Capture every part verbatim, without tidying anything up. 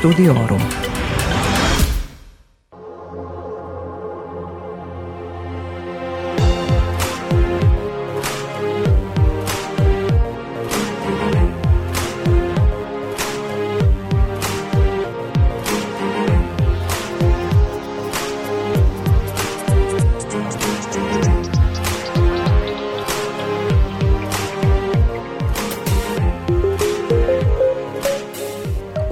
Studiorum.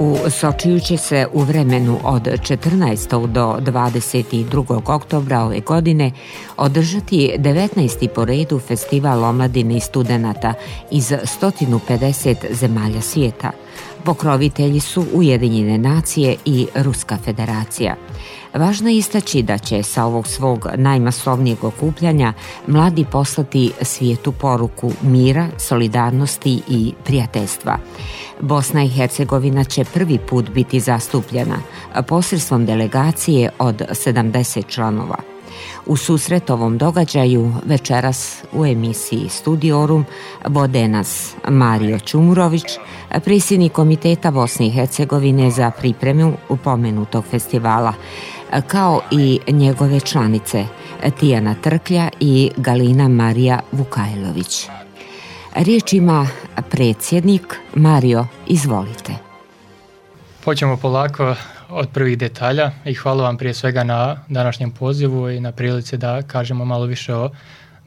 U Sočiju će se u vremenu od četrnaestog do dvadeset drugog oktobra ove godine održati devetnaesti po redu festival omladine i studenata iz sto pedeset zemalja svijeta. Pokrovitelji su Ujedinjene nacije i Ruska federacija. Važno je istaći da će sa ovog svog najmasovnijeg okupljanja mladi poslati svijetu poruku mira, solidarnosti i prijateljstva. Bosna i Hercegovina će prvi put biti zastupljena posredstvom delegacije od sedamdeset članova. U susret ovom događaju večeras u emisiji Studiorum vode nas Mario Čumurović, predsjednik Komiteta Bosne i Hercegovine za pripremu pomenutog festivala, kao i njegove članice Tijana Trklja i Galina Marija Vukajlović. Riječ ima predsjednik. Mario, izvolite. Počnemo polako od prvih detalja i hvala vam prije svega na današnjem pozivu i na prilici da kažemo malo više o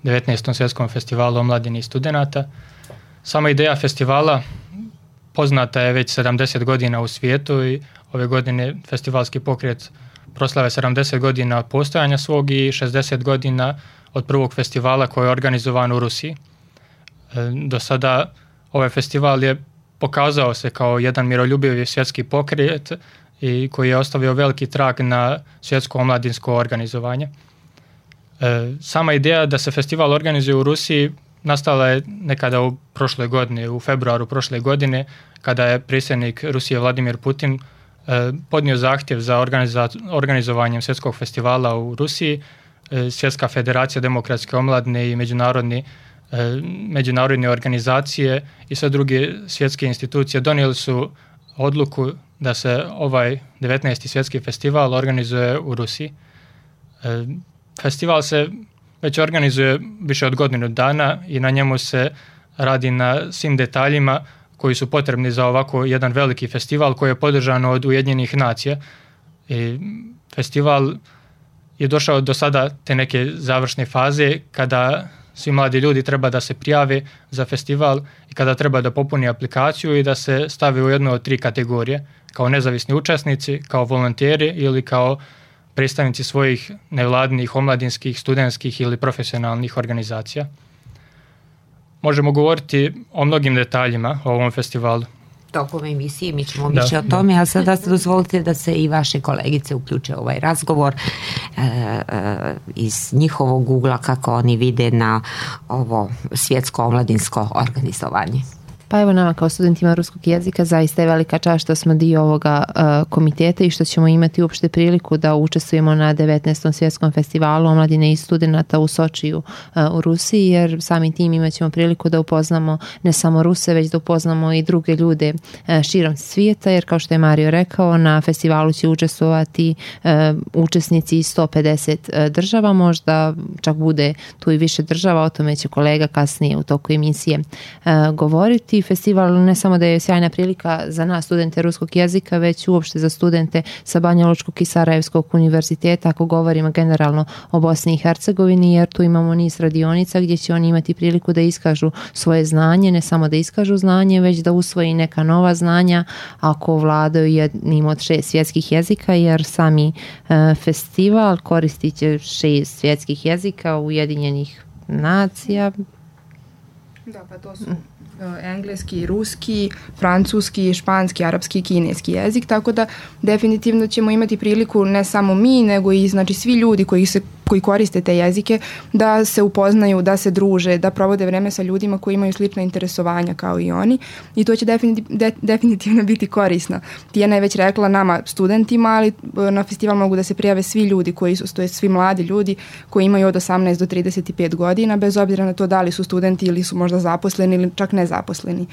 devetnaestom svjetskom festivalu omladine i studenata. Sama ideja festivala poznata je već sedamdeset godina u svijetu i ove godine festivalski pokret proslave sedamdeset godina od postojanja svog i šezdeset godina od prvog festivala koji je organizovan u Rusiji. Do sada ovaj festival je pokazao se kao jedan miroljubivi svjetski pokret i koji je ostavio veliki trag na svjetsko omladinsko organizovanje. E, sama ideja da se festival organizuje u Rusiji nastala je nekada u prošloj godini, u februaru prošle godine, kada je predsjednik Rusije Vladimir Putin e, podnio zahtjev za organiza- organizovanjem svjetskog festivala u Rusiji. E, Svjetska federacija demokratske omladine i međunarodni međunarodne organizacije i sve druge svjetske institucije donijeli su odluku da se ovaj devetnaesti svjetski festival organizuje u Rusiji. Festival se već organizuje više od godinu dana i na njemu se radi na svim detaljima koji su potrebni za ovako jedan veliki festival koji je podržan od Ujedinjenih nacija. I festival je došao do sada te neke završne faze kada svi mladi ljudi treba da se prijave za festival i kada treba da popuni aplikaciju i da se stavi u jednu od tri kategorije, kao nezavisni učesnici, kao volonteri ili kao predstavnici svojih nevladinih, omladinskih, studentskih ili profesionalnih organizacija. Možemo govoriti o mnogim detaljima o ovom festivalu. Tokom emisije mi ćemo više o tome, a sada dozvolite da se i vaše kolegice uključe u ovaj razgovor e, e, iz njihovog ugla kako oni vide na ovo svjetsko omladinsko organizovanje. Pa evo nama kao studentima ruskog jezika zaista je velika čast što smo dio ovoga uh, komiteta i što ćemo imati uopšte priliku da učestvujemo na devetnaestom svjetskom festivalu omladine i studenata u Sočiju uh, u Rusiji, jer samim tim imat ćemo priliku da upoznamo ne samo Ruse, već da upoznamo i druge ljude uh, širom svijeta, jer kao što je Mario rekao, na festivalu će učestvovati uh, učesnici iz sto pedeset uh, država, možda čak bude tu i više država, o tome će kolega kasnije u toku emisije uh, govoriti. Festival ne samo da je sjajna prilika za nas studente ruskog jezika, već uopšte za studente sa Banjalučkog i Sarajevskog univerziteta, ako govorimo generalno o Bosni i Hercegovini, jer tu imamo niz radionica gdje će oni imati priliku da iskažu svoje znanje, ne samo da iskažu znanje, već da usvoji neka nova znanja ako vladaju jednim od šest svjetskih jezika, jer sami e, festival koristit će šest svjetskih jezika Ujedinjenih nacija. Da, pa to su engleski, ruski, francuski, španski, arapski i kineski jezik, tako da definitivno ćemo imati priliku ne samo mi, nego i znači svi ljudi koji se koji koriste te jezike da se upoznaju, da se druže, da provode vreme sa ljudima koji imaju slična interesovanja kao i oni, i to će definitivno, de, definitivno biti korisno. Tijana je već rekla nama studentima, ali na festival mogu da se prijave svi ljudi koji su, to je svi mladi ljudi koji imaju od osamnaest do trideset pet godina, bez obzira na to da li su studenti ili su možda zaposleni ili čak nezaposleni.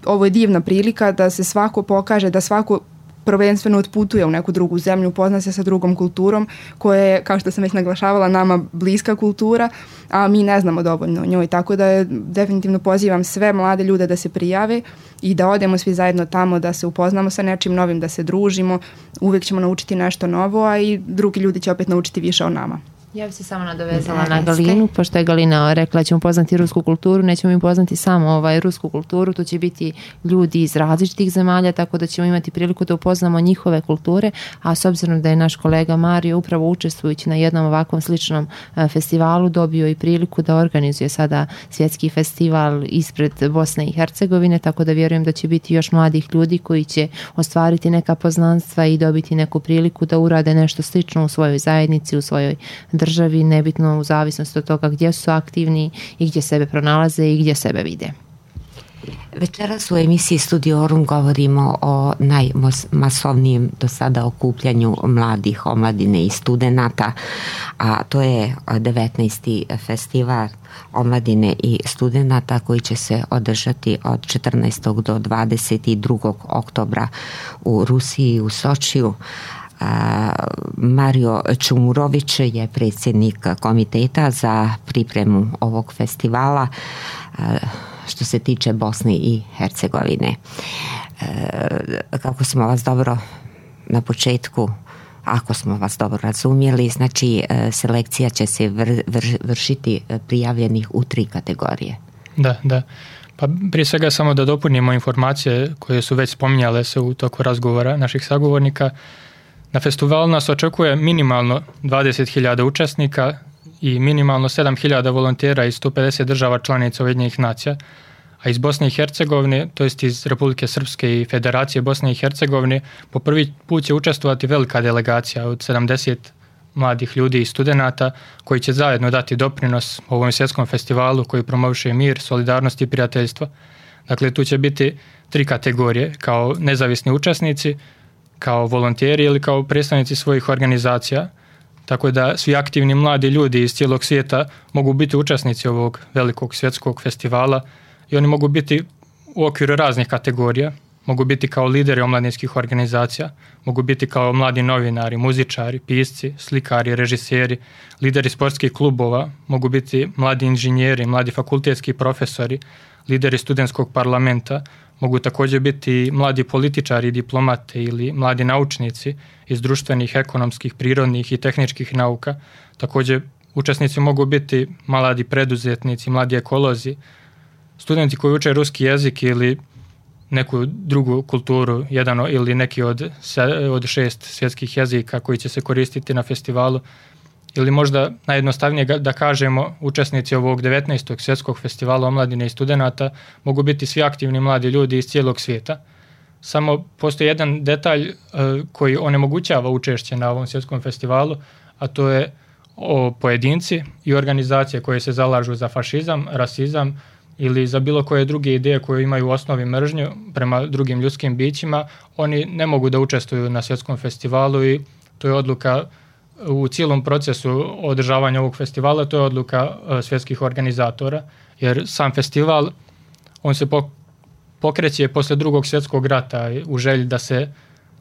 Ovo je divna prilika da se svako pokaže, da svako prvenstveno otputuje u neku drugu zemlju, upozna se sa drugom kulturom koja je, kao što sam već naglašavala, nama bliska kultura, a mi ne znamo dovoljno o njoj. Tako da je, definitivno pozivam sve mlade ljude da se prijave i da odemo svi zajedno tamo, da se upoznamo sa nečim novim, da se družimo. Uvijek ćemo naučiti nešto novo, a i drugi ljudi će opet naučiti više o nama. Ja bih se samo nadovezala na Galinu, pošto je Galina rekla da ćemo poznati rusku kulturu, nećemo im poznati samo ovaj, rusku kulturu, to će biti ljudi iz različitih zemalja, tako da ćemo imati priliku da upoznamo njihove kulture, a s obzirom da je naš kolega Mario upravo učestvujući na jednom ovakvom sličnom festivalu dobio i priliku da organizuje sada svjetski festival ispred Bosne i Hercegovine, tako da vjerujem da će biti još mladih ljudi koji će ostvariti neka poznanstva i dobiti neku priliku da urade nešto slično u svojoj zajednici, u svojoj državi, nebitno u zavisnosti od toga gdje su aktivni i gdje sebe pronalaze i gdje sebe vide. Večeras u emisiji Studiorum govorimo o najmasovnijem do sada okupljanju mladih, omladine i studenata, a to je devetnaesti festival omladine i studenata koji će se održati od četrnaestog do dvadeset drugog oktobra u Rusiji, u Sočiju. Mario Čumurović je predsjednik komiteta za pripremu ovog festivala što se tiče Bosne i Hercegovine. Kako smo vas dobro na početku, ako smo vas dobro razumjeli, znači selekcija će se vr, vr, vršiti prijavljenih u tri kategorije. Da, da. Pa prije svega samo da dopunimo informacije koje su već spominjale se u toku razgovora naših sagovornika. Na festivalu nas očekuje minimalno dvadeset hiljada učesnika i minimalno sedam hiljada volontera iz sto pedeset država članica Ujedinjenih nacija, a iz Bosne i Hercegovine, to jest iz Republike Srpske i Federacije Bosne i Hercegovine, po prvi put će učestvovati velika delegacija od sedamdeset mladih ljudi i studenata koji će zajedno dati doprinos ovom svjetskom festivalu koji promoviše mir, solidarnost i prijateljstvo. Dakle, tu će biti tri kategorije, kao nezavisni učesnici, kao volonteri ili kao predstavnici svojih organizacija, tako da svi aktivni mladi ljudi iz cijelog svijeta mogu biti učesnici ovog velikog svjetskog festivala i oni mogu biti u okviru raznih kategorija, mogu biti kao lideri omladinskih organizacija, mogu biti kao mladi novinari, muzičari, pisci, slikari, režiseri, lideri sportskih klubova, mogu biti mladi inženjeri, mladi fakultetski profesori, lideri studentskog parlamenta, mogu također biti mladi političari, diplomate ili mladi naučnici iz društvenih, ekonomskih, prirodnih i tehničkih nauka. Također učesnici mogu biti mladi preduzetnici, mladi ekolozi, studenti koji uče ruski jezik ili neku drugu kulturu, jedan ili neki od, od šest svjetskih jezika koji će se koristiti na festivalu. Ili možda najjednostavnije da kažemo, učesnici ovog devetnaestog svjetskog festivala omladine i studenata mogu biti svi aktivni mladi ljudi iz cijelog svijeta. Samo postoji jedan detalj koji onemogućava učešće na ovom svjetskom festivalu, a to je o pojedinci i organizacije koje se zalažu za fašizam, rasizam ili za bilo koje druge ideje koje imaju u osnovi mržnju prema drugim ljudskim bićima. Oni ne mogu da učestvuju na svjetskom festivalu i to je odluka u cijelom procesu održavanja ovog festivala, to je odluka svjetskih organizatora, jer sam festival on se pokreće poslije drugog svjetskog rata u želji da se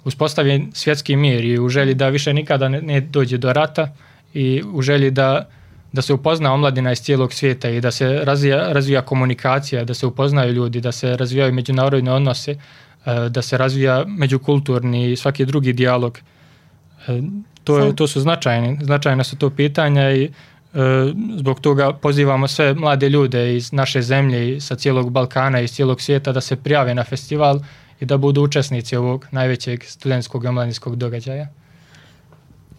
uspostavi svjetski mir i u želji da više nikada ne dođe do rata i u želji da, da se upozna omladina iz cijelog svijeta i da se razvija, razvija komunikacija, da se upoznaju ljudi, da se razvijaju međunarodne odnose, da se razvija međukulturni i svaki drugi dijalog. To, je, to su značajne, značajne su to pitanja i e, zbog toga pozivamo sve mlade ljude iz naše zemlje i sa cijelog Balkana i iz cijelog svijeta da se prijave na festival i da budu učesnici ovog najvećeg studentskog i omladinskog događaja.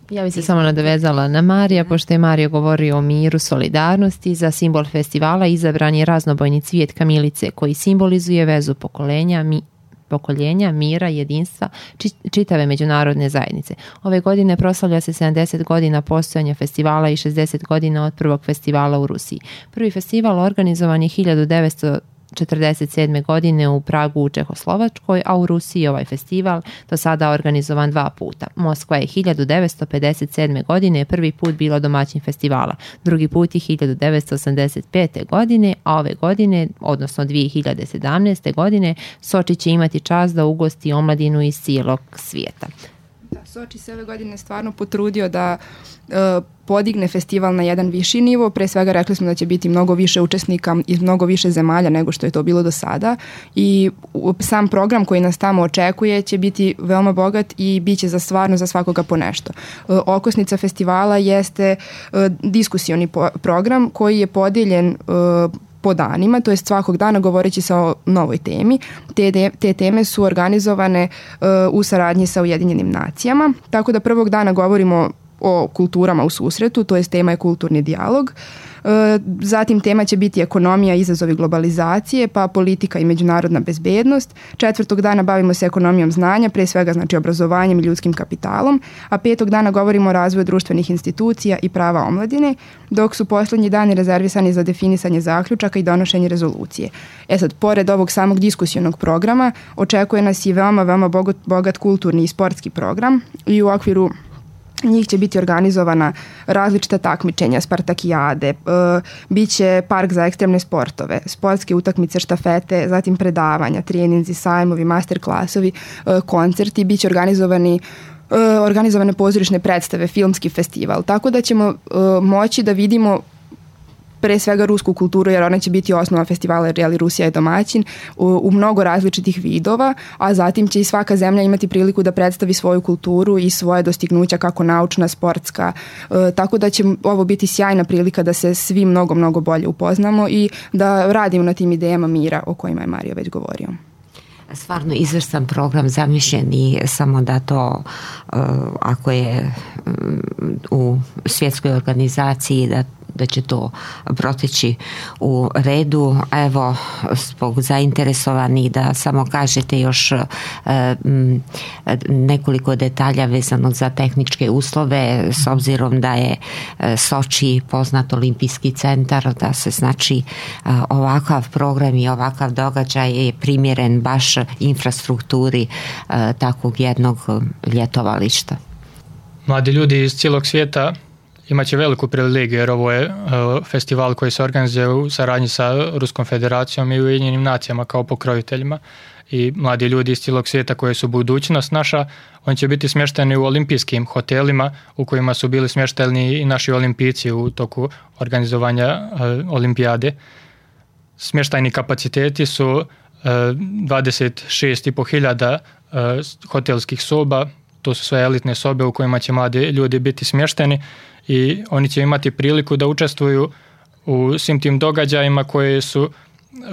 Ja bih se samo nadovezala na Marija, pošto je Mario govorio o miru, solidarnosti. Za simbol festivala izabran je raznobojni cvijet kamilice koji simbolizuje vezu pokolenja, mi, pokoljenja, mira, jedinstva, čitave međunarodne zajednice. Ove godine proslavlja se sedamdeset godina postojanja festivala i šezdeset godina od prvog festivala u Rusiji. Prvi festival organizovan je hiljadu devetsto četrdeset sedme. godine u Pragu u Čehoslovačkoj, a u Rusiji ovaj festival do sada organizovan dva puta. Moskva je hiljadu devetsto pedeset sedme. godine prvi put bila domaćin festivala, drugi put je hiljadu devetsto osamdeset pete. godine, a ove godine, odnosno dvije hiljade sedamnaeste. godine, Soči će imati čast da ugosti omladinu iz cijelog svijeta. Da, Soči se ove godine stvarno potrudio da e, podigne festival na jedan viši nivo. Pre svega rekli smo da će biti mnogo više učesnika iz mnogo više zemalja nego što je to bilo do sada i sam program koji nas tamo očekuje će biti veoma bogat i bit će za stvarno za svakoga po nešto. E, okosnica festivala jeste e, diskusioni po, program koji je podijeljen e, po danima, to je svakog dana govoreći sa o novoj temi. Te, te teme su organizovane uh, u saradnji sa Ujedinjenim nacijama, tako da prvog dana govorimo o kulturama u susretu, to jest tema je kulturni dijalog. Zatim tema će biti ekonomija, izazovi globalizacije, pa politika i međunarodna bezbednost. Četvrtog dana bavimo se ekonomijom znanja, pre svega znači obrazovanjem i ljudskim kapitalom, a petog dana govorimo o razvoju društvenih institucija i prava omladine, dok su posljednji dani rezervisani za definisanje zaključaka i donošenje rezolucije. E sad, pored ovog samog diskusionog programa, očekuje nas i veoma, veoma bogat, bogat kulturni i sportski program i u okviru njih će biti organizovana različita takmičenja, spartakijade, e, bit će park za ekstremne sportove, sportske utakmice, štafete, zatim predavanja, treninzi, sajmovi, master klasovi, e, koncerti, bit će organizovani e, organizovane pozorišne predstave, filmski festival, tako da ćemo e, moći da vidimo pre svega rusku kulturu, jer ona će biti osnova festivala, jer Rusija je domaćin, u, u mnogo različitih vidova, a zatim će i svaka zemlja imati priliku da predstavi svoju kulturu i svoje dostignuća kako naučna, sportska, e, tako da će ovo biti sjajna prilika da se svi mnogo, mnogo bolje upoznamo i da radimo na tim idejama mira o kojima je Mario već govorio. Stvarno izvrstan program zamišljen i samo da to uh, ako je um, u svjetskoj organizaciji da da će to proteći u redu. Evo, zbog zainteresovanih da samo kažete još e, m, nekoliko detalja vezano za tehničke uslove, s obzirom da je e, Soči poznat olimpijski centar, da se znači e, ovakav program i ovakav događaj je primjeren baš infrastrukturi e, takvog jednog ljetovališta. Mladi ljudi iz cijelog svijeta imaće veliku privilegiju jer ovo je uh, festival koji se organizuje u saradnji sa Ruskom federacijom i Ujedinjenim nacijama kao pokroviteljima i mladi ljudi iz cijelog svijeta koji su budućnost naša, oni će biti smješteni u olimpijskim hotelima u kojima su bili smješteni i naši olimpijci u toku organizovanja uh, olimpijade. Smještajni kapaciteti su uh, dvadeset šest i po hiljada uh, hotelskih soba, to su sve elitne sobe u kojima će mladi ljudi biti smješteni i oni će imati priliku da učestvuju u svim tim događajima koje su,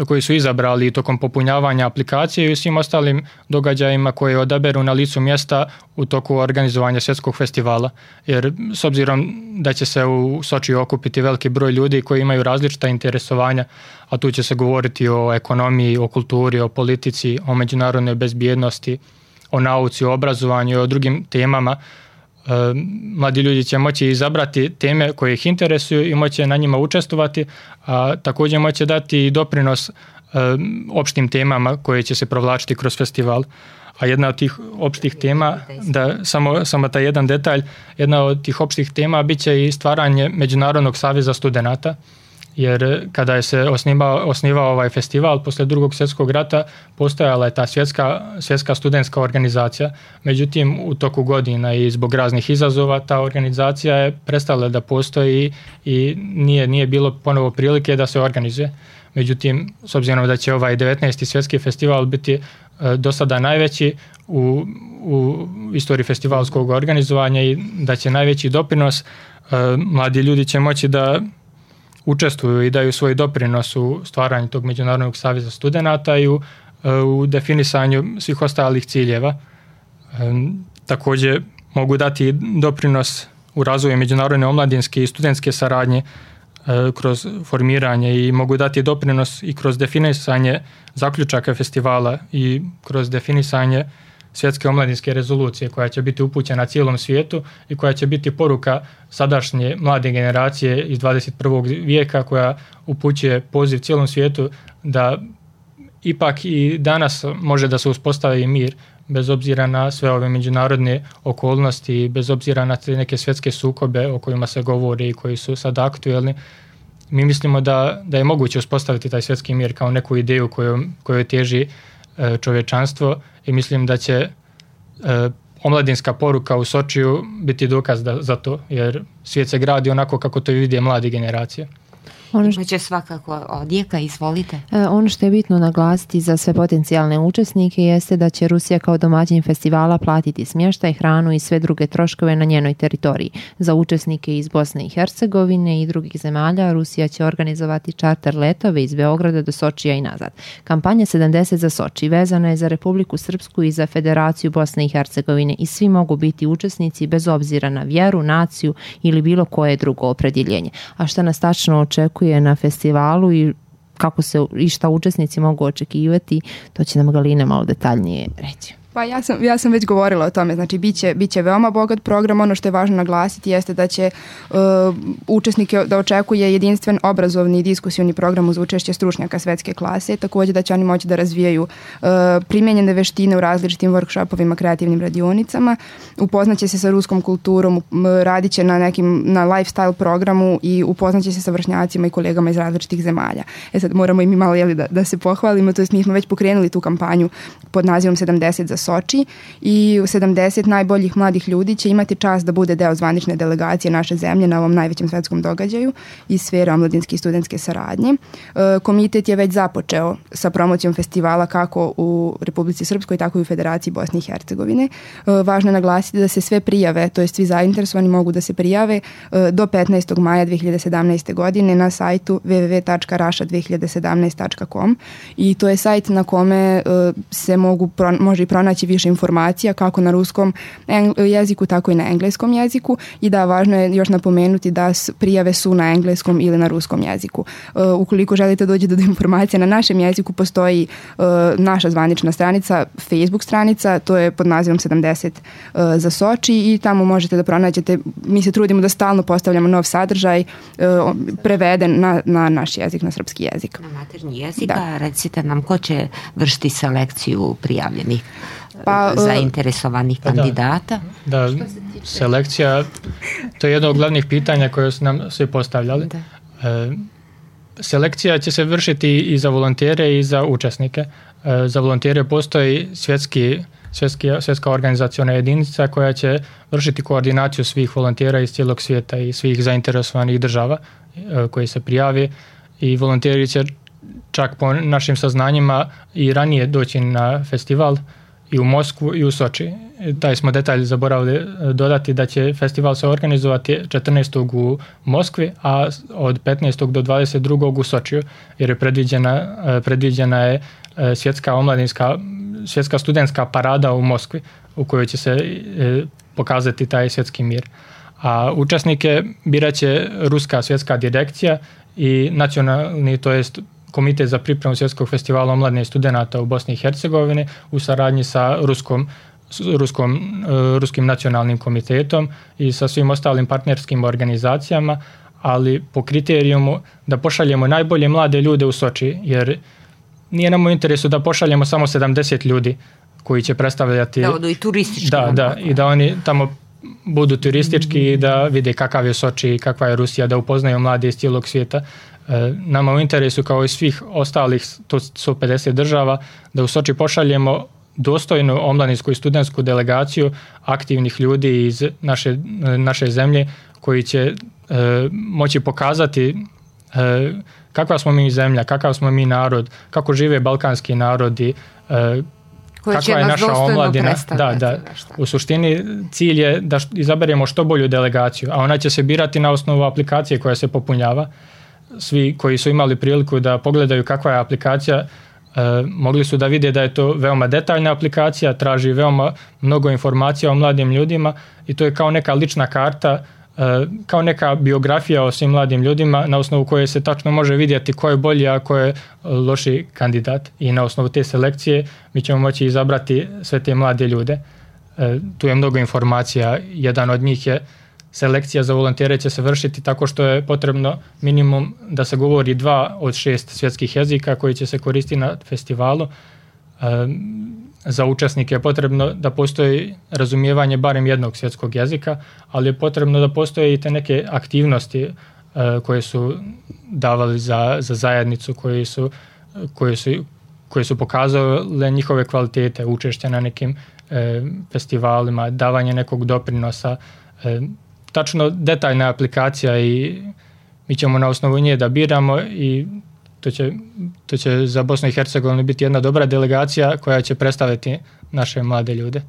koji su izabrali tokom popunjavanja aplikacije i svim ostalim događajima koje odaberu na licu mjesta u toku organizovanja svjetskog festivala. Jer s obzirom da će se u Sočiju okupiti veliki broj ljudi koji imaju različita interesovanja, a tu će se govoriti o ekonomiji, o kulturi, o politici, o međunarodnoj bezbjednosti, o nauci, o obrazovanju i o drugim temama, mladi ljudi će moći izabrati teme koje ih interesuju i moći na njima učestvovati, a također moći dati i doprinos opštim temama koje će se provlačiti kroz festival. A jedna od tih opštih tema, da samo, samo taj jedan detalj, jedna od tih opštih tema bit će i stvaranje Međunarodnog saveza studenata, jer kada je se osnivao, osnivao ovaj festival poslije drugog svjetskog rata postojala je ta svjetska, svjetska studentska organizacija, međutim u toku godina i zbog raznih izazova ta organizacija je prestala da postoji i nije, nije bilo ponovo prilike da se organizuje. Međutim, s obzirom da će ovaj devetnaesti svjetski festival biti e, do sada najveći u, u istoriji festivalskog organizovanja i da će najveći doprinos, e, mladi ljudi će moći da učestvuju i daju svoj doprinos u stvaranju tog Međunarodnog saveza studenata i u, u definisanju svih ostalih ciljeva. E, također mogu dati doprinos u razvoju međunarodne omladinske i studentske saradnje e, kroz formiranje i mogu dati doprinos i kroz definisanje zaključaka festivala i kroz definisanje svjetske omladinske rezolucije koja će biti upućena cijelom svijetu i koja će biti poruka sadašnje mlade generacije iz dvadeset prvog vijeka koja upućuje poziv cijelom svijetu da ipak i danas može da se uspostavi mir bez obzira na sve ove međunarodne okolnosti, bez obzira na te neke svjetske sukobe o kojima se govori i koji su sad aktuelni. Mi mislimo da, da je moguće uspostaviti taj svjetski mir kao neku ideju koju, koju teži e, čovječanstvo i mislim da će e, omladinska poruka u Sočiju biti dokaz da, za to, jer svijet se gradi onako kako to vide mlade generacije. Ono što će svakako odjeka, izvolite. E, ono što je bitno naglasiti za sve potencijalne učesnike jeste da će Rusija kao domaćin festivala platiti smještaj, hranu i sve druge troškove na njenoj teritoriji. Za učesnike iz Bosne i Hercegovine i drugih zemalja Rusija će organizovati čarter letove iz Beograda do Sočija i nazad. Kampanja sedamdeset za Soči vezana je za Republiku Srpsku i za Federaciju Bosne i Hercegovine i svi mogu biti učesnici bez obzira na vjeru, naciju ili bilo koje drugo opredjeljenje. A šta nas tačno očekuje na festivalu i kako se i šta učesnici mogu očekivati, to će nam Galina malo detaljnije reći. Pa ja sam, ja sam već govorila o tome, znači bit će, bit će veoma bogat program. Ono što je važno naglasiti jeste da će uh, učesnike da očekuje jedinstven obrazovni i diskusioni program uz učešće stručnjaka svetske klase, također da će oni moći da razvijaju uh, primijenjene veštine u različitim workshopovima, kreativnim radionicama, upoznaće se sa ruskom kulturom, radit će na nekim na lifestyle programu i upoznaće se sa vršnjacima i kolegama iz različitih zemalja. E sad moramo i mi malo jeli, da, da se pohvalimo, to jest mi smo već pokrenuli tu kampanju pod nazivom sedamdeset za Soči i sedamdeset najboljih mladih ljudi će imati čast da bude deo zvanične delegacije naše zemlje na ovom najvećem svetskom događaju iz sfere omladinske i studentske saradnje. Komitet je već započeo sa promocijom festivala kako u Republici Srpskoj, tako i u Federaciji Bosne i Hercegovine. Važno je naglasiti da se sve prijave, to jest svi zainteresovani mogu da se prijave do petnaestog maja dve hiljade sedamnaeste. godine na sajtu w w w tačka rasha dve hiljade sedamnaest tačka com i to je sajt na kome se mogu, može i pronaći više informacija kako na ruskom jeziku, tako i na engleskom jeziku i da važno je još napomenuti da prijave su na engleskom ili na ruskom jeziku. Uh, ukoliko želite doći do informacija na našem jeziku, postoji uh, naša zvanična stranica, Facebook stranica, to je pod nazivom sedamdeset uh, za Soči i tamo možete da pronađete, mi se trudimo da stalno postavljamo nov sadržaj uh, preveden na, na naš jezik, na srpski jezik. Na maternji jezik, da. Recite nam ko će vršiti selekciju prijavljenih? Pa, zainteresovanih kandidata? Da, da, selekcija, to je jedno od glavnih pitanja koje su nam svi postavljali. Da. E, selekcija će se vršiti i za volontere i za učesnike. E, za volontere postoji svjetski, svjetski, svjetska organizaciona jedinica koja će vršiti koordinaciju svih volontera iz cijelog svijeta i svih zainteresovanih država e, koji se prijavi i volonteri će čak po našim saznanjima i ranije doći na festival i u Moskvu i u Soči. Taj smo detalj zaboravili dodati da će festival se organizovati četrnaestog u Moskvi, a od petnaestog do dvadeset drugog u Sočiju, jer je predviđena, predviđena je svjetska omladinska, svjetska studentska parada u Moskvi u kojoj će se pokazati taj svjetski mir. A učesnike birat će Ruska svjetska direkcija i nacionalni, to jest Komitet za pripremu svjetskog festivala omladine i studenata u Bosni i Hercegovini u saradnji sa Ruskom, Ruskom, Ruskim nacionalnim komitetom i sa svim ostalim partnerskim organizacijama, ali po kriterijumu da pošaljemo najbolje mlade ljude u Soči, jer nije nam u interesu da pošaljemo samo sedamdeset ljudi koji će predstavljati... Da odu i turistički. Da, da, i da oni tamo budu turistički i da vide kakav je Soči i kakva je Rusija, da upoznaju mlade iz cijelog svijeta. Nama u interesu kao i svih ostalih sto pedeset država da u Soči pošaljemo dostojnu omladinsku i studentsku delegaciju aktivnih ljudi iz naše, naše zemlje koji će e, moći pokazati e, kakva smo mi zemlja, kakav smo mi narod, kako žive balkanski narodi, e, kakva je naša omladina. Da, da. U suštini cilj je da izaberemo što bolju delegaciju, a ona će se birati na osnovu aplikacije koja se popunjava. Svi koji su imali priliku da pogledaju kakva je aplikacija, e, mogli su da vide da je to veoma detaljna aplikacija, traži veoma mnogo informacija o mladim ljudima i to je kao neka lična karta, e, kao neka biografija o svim mladim ljudima na osnovu koje se tačno može vidjeti ko je bolji, a ko je loši kandidat. I na osnovu te selekcije mi ćemo moći izabrati sve te mlade ljude. E, tu je mnogo informacija. Jedan od njih je selekcija za volontere će se vršiti tako što je potrebno minimum da se govori dva od šest svjetskih jezika koji će se koristiti na festivalu. Za učesnike je potrebno da postoji razumijevanje barem jednog svjetskog jezika, ali je potrebno da postoje i te neke aktivnosti koje su davali za, za zajednicu, koje su, koje su, koje su pokazale njihove kvalitete, učešća na nekim e, festivalima, davanje nekog doprinosa. E, tačno detaljna aplikacija i mi ćemo na osnovu nje da biramo i to će, to će za Bosnu i Hercegovinu biti jedna dobra delegacija koja će predstaviti naše mlade ljude.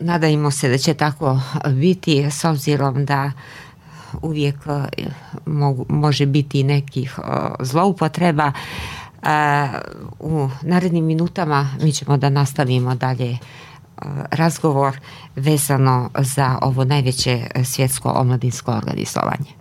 Nadajmo se da će tako biti, s obzirom da uvijek mogu, može biti nekih zloupotreba. U narednim minutama mi ćemo da nastavimo dalje razgovor vezano za ovo najveće svjetsko omladinsko organizovanje.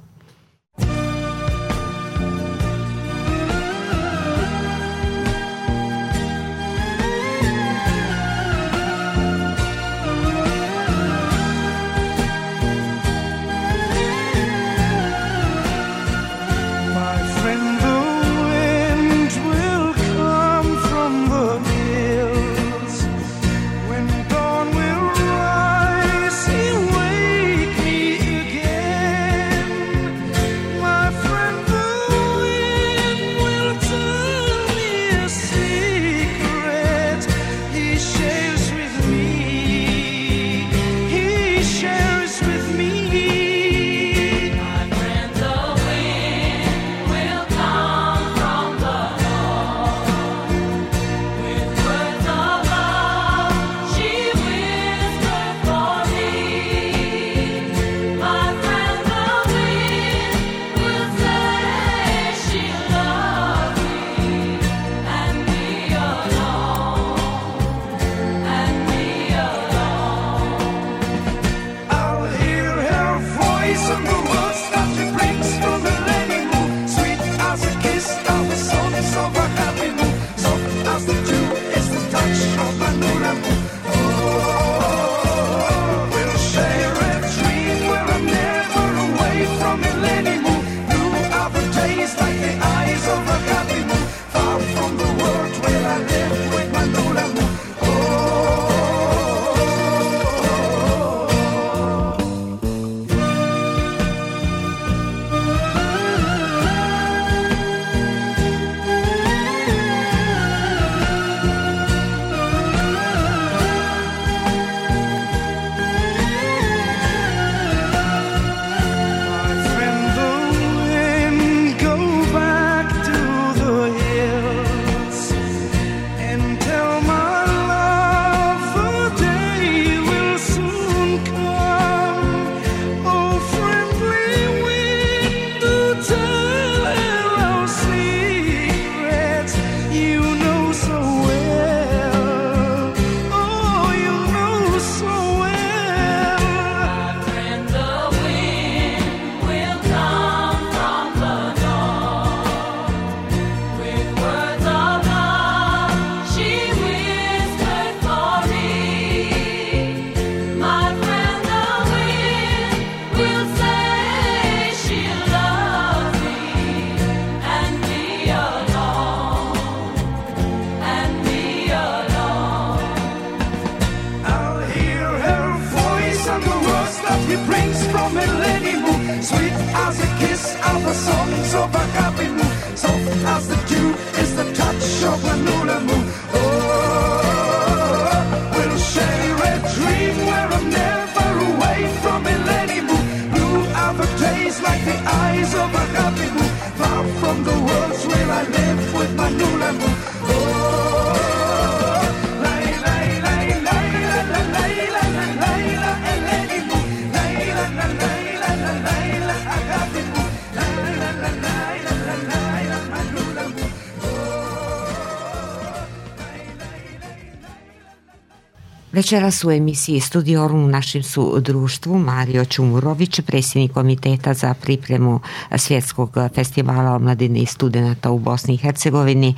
Večeras u emisiji Studiorum u našem su društvu Mario Čumurović, predsjednik komiteta za pripremu Svjetskog festivala omladine i studenata u Bosni i Hercegovini,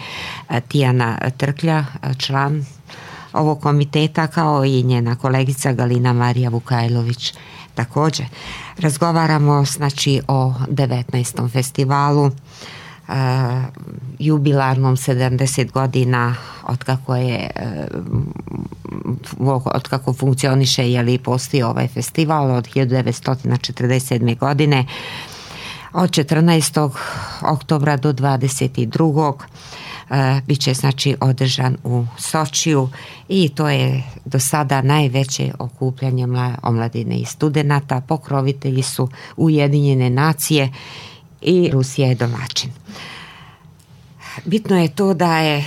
Tijana Trklja, član ovog komiteta, kao i njena kolegica Galina Marija Vukajlović. također. Razgovaramo znači o devetnaestom festivalu, uh, jubilarnom sedamdeset godina od kako je uh, od kako funkcioniše je li postoji ovaj festival od hiljadu devetsto četrdeset sedme. godine od četrnaestog oktobra do dvadeset drugog Uh, bit će znači održan u Sočiju i to je do sada najveće okupljanje omladine i studenata. Pokrovitelji su Ujedinjene nacije i Rusija je domaćin. Bitno je to da je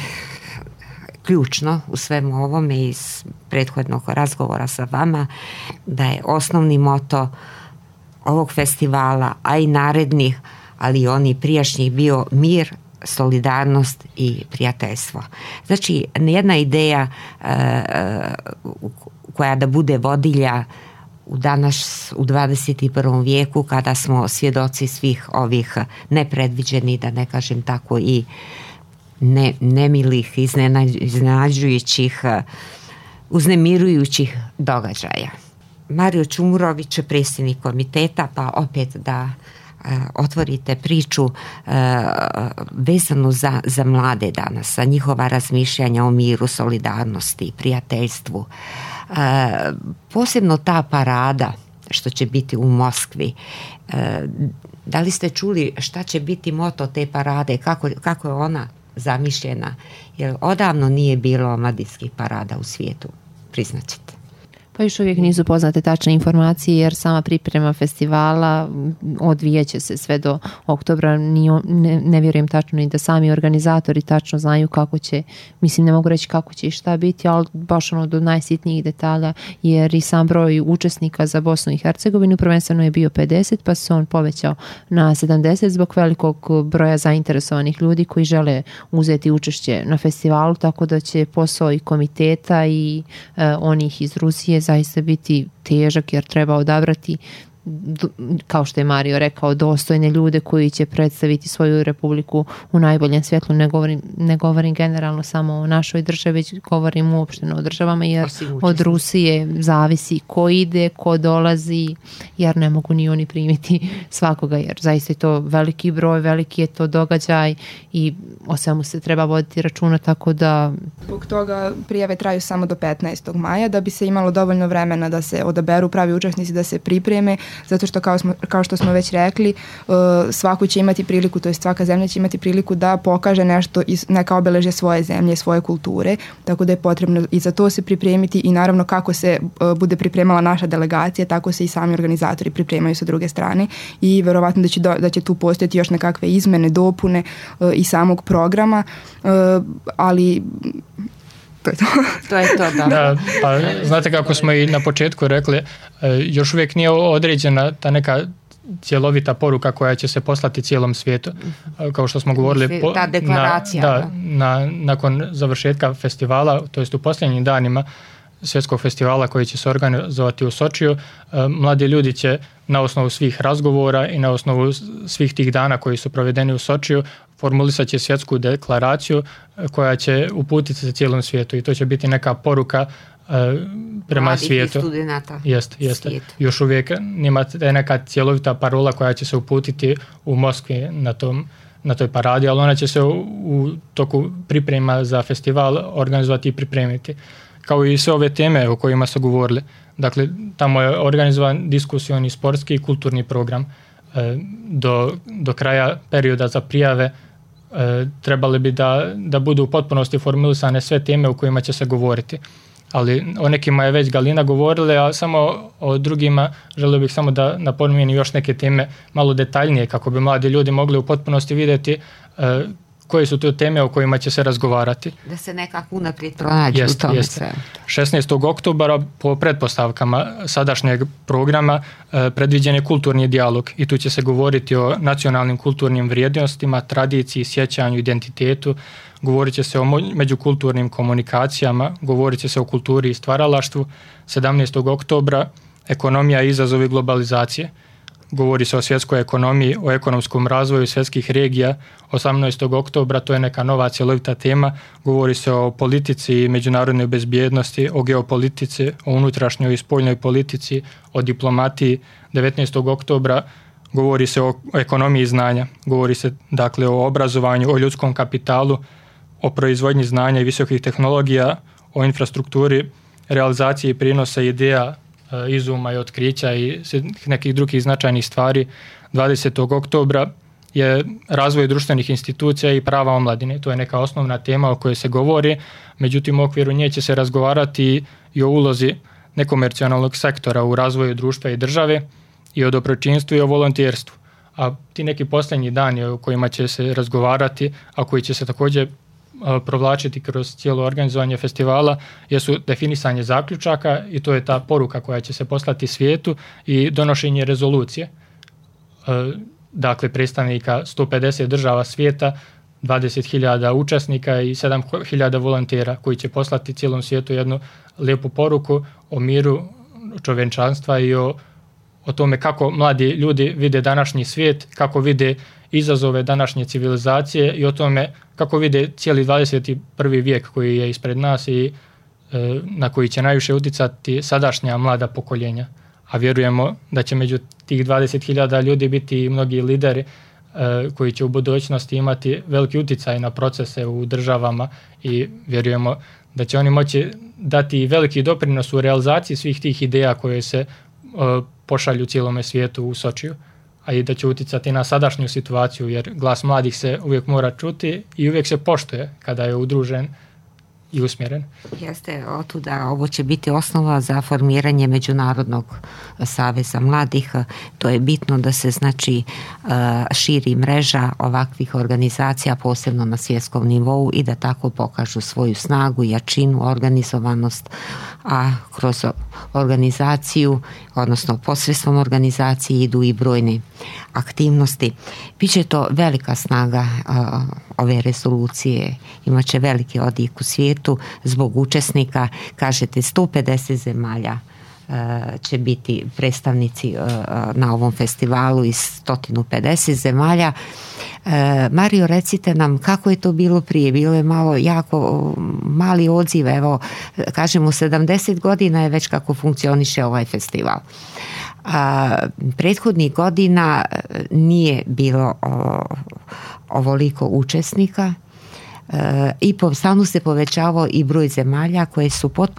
ključno u svemu ovome iz prethodnog razgovora sa vama da je osnovni moto ovog festivala, a i narednih, ali i oni prijašnjih bio mir, solidarnost i prijateljstvo. Znači, jedna ideja uh, koja da bude vodilja u danas, u dvadeset prvom vijeku, kada smo svjedoci svih ovih nepredviđenih, da ne kažem tako, i ne, nemilih, iznenađujućih, uznemirujućih događaja. Mario Čumurović, predsjednik komiteta, pa opet da otvorite priču uh, vezanu za, za mlade danas, za njihova razmišljanja o miru, solidarnosti, prijateljstvu. Uh, posebno ta parada što će biti u Moskvi. Uh, da li ste čuli šta će biti moto te parade, kako, kako je ona zamišljena? Jer odavno nije bilo omladinskih parada u svijetu, priznaćete. Pa još uvijek nisu poznate tačne informacije jer sama priprema festivala odvijeće se sve do oktobra. Ne, ne vjerujem tačno ni da sami organizatori tačno znaju kako će, mislim ne mogu reći kako će i šta biti, ali baš ono do najsitnijih detalja, jer i sam broj učesnika za Bosnu i Hercegovinu prvenstveno je bio pedeset, pa se on povećao na sedamdeset zbog velikog broja zainteresovanih ljudi koji žele uzeti učešće na festivalu, tako da će posao i komiteta i e, onih iz Rusije zaista biti težak jer treba odabrati, kao što je Mario rekao, dostojne ljude koji će predstaviti svoju republiku u najboljem svjetlu. Ne govorim, ne govorim generalno samo o našoj državi, već govorim uopšteno o državama, jer od Rusije zavisi ko ide, ko dolazi, jer ne mogu ni oni primiti svakoga, jer zaista je to veliki broj, veliki je to događaj i o svemu se treba voditi računa, tako da... Zbog toga prijave traju samo do petnaestog maja, da bi se imalo dovoljno vremena da se odaberu pravi učesnici, da se pripreme, zato što kao, smo, kao što smo već rekli, uh, svako će imati priliku, to jest svaka zemlja će imati priliku da pokaže nešto, iz, neka obeležje svoje zemlje, svoje kulture, tako da je potrebno i za to se pripremiti i naravno kako se uh, bude pripremala naša delegacija, tako se i sami organizatori pripremaju sa druge strane i verovatno da će, do, da će tu postojati još nekakve izmene, dopune uh, i samog programa, uh, ali... To je to. to je to, da. da. Pa znate kako smo i na početku rekli, još uvijek nije određena ta neka cjelovita poruka koja će se poslati cijelom svijetu. Kao što smo govorili, ta deklaracija. Na, da, na, nakon završetka festivala, to jest u posljednjim danima svjetskog festivala koji će se organizovati u Sočiju, mladi ljudi će na osnovu svih razgovora i na osnovu svih tih dana koji su provedeni u Sočiju formulisat će svjetsku deklaraciju koja će uputiti se cijelom svijetu i to će biti neka poruka uh, prema mladih svijetu. I studenata. Jest, jeste. Još uvijek nema neka cjelovita parola koja će se uputiti u Moskvi na tom na toj paradi, ali ona će se u, u toku priprema za festival organizovati i pripremiti. Kao i sve ove teme o kojima su govorili. Dakle, tamo je organizovan diskusioni, sportski i kulturni program. E, do, do kraja perioda za prijave e, trebali bi da, da budu u potpunosti formulisane sve teme o kojima će se govoriti. Ali o nekima je već Galina govorila, a samo o drugima želio bih samo da napomenem još neke teme malo detaljnije kako bi mladi ljudi mogli u potpunosti vidjeti e, koje su to teme o kojima će se razgovarati. Da se nekako unaprijed pronađu u tome sve. šesnaestog oktobra po pretpostavkama sadašnjeg programa e, predviđen je kulturni dijalog i tu će se govoriti o nacionalnim kulturnim vrijednostima, tradiciji, sjećanju, identitetu, govorit će se o međukulturnim komunikacijama, govorit će se o kulturi i stvaralaštvu. sedamnaestog oktobra ekonomija i izazovi globalizacije. govori se o svjetskoj ekonomiji, o ekonomskom razvoju svjetskih regija. osamnaestog oktobra, to je neka nova cjelovita tema, govori se o politici i međunarodnoj bezbjednosti, o geopolitici, o unutrašnjoj i spoljnoj politici, o diplomatiji. devetnaestog oktobra govori se o ekonomiji znanja, govori se dakle o obrazovanju, o ljudskom kapitalu, o proizvodnji znanja i visokih tehnologija, o infrastrukturi, realizaciji prinosa ideja, izuma i otkrića i nekih drugih značajnih stvari. dvadesetog oktobra je razvoj društvenih institucija i prava omladine. To je neka osnovna tema o kojoj se govori, međutim u okviru nje će se razgovarati i o ulozi nekomercionalnog sektora u razvoju društva i države, i o dobročinstvu i o volonterstvu. A ti neki posljednji dani o kojima će se razgovarati, a koji će se također provlačiti kroz cijelo organizovanje festivala, jesu definisanje zaključaka, i to je ta poruka koja će se poslati svijetu, i donošenje rezolucije. Dakle, predstavnika sto pedeset država svijeta, dvadeset hiljada učesnika i sedam hiljada volontera koji će poslati cijelom svijetu jednu lijepu poruku o miru čovječanstva i o, o tome kako mladi ljudi vide današnji svijet, kako vide izazove današnje civilizacije i o tome kako vide cijeli dvadeset prvi vijek koji je ispred nas i e, na koji će najviše utjecati sadašnja mlada pokoljenja. A vjerujemo da će među tih dvadeset hiljada ljudi biti i mnogi lideri e, koji će u budućnosti imati veliki utjecaj na procese u državama, i vjerujemo da će oni moći dati veliki doprinos u realizaciji svih tih ideja koje se e, pošalju cijelome svijetu u Sočiju, a i da će utjecati na sadašnju situaciju, jer glas mladih se uvijek mora čuti i uvijek se poštuje kada je udružen i usmjeren. Jeste, otuda ovo će biti osnova za formiranje Međunarodnog saveza mladih. To je bitno da se znači širi mreža ovakvih organizacija, posebno na svjetskom nivou, i da tako pokažu svoju snagu, jačinu, organizovanost, a kroz organizaciju, odnosno posredstvom organizacije, idu i brojne aktivnosti. Biće to velika snaga a, ove rezolucije, imat će veliki odjek u svijetu zbog učesnika. Kažete, sto pedeset zemalja a, će biti predstavnici a, na ovom festivalu iz sto pedeset zemalja. E, Mario, recite nam kako je to bilo prije. Bilo je malo jako mali odziv, evo kažemo sedamdeset godina je već kako funkcioniše ovaj festival. A, prethodnih godina nije bilo o, ovoliko učesnika, e, i po, stalno se povećavao i broj zemalja koje su pod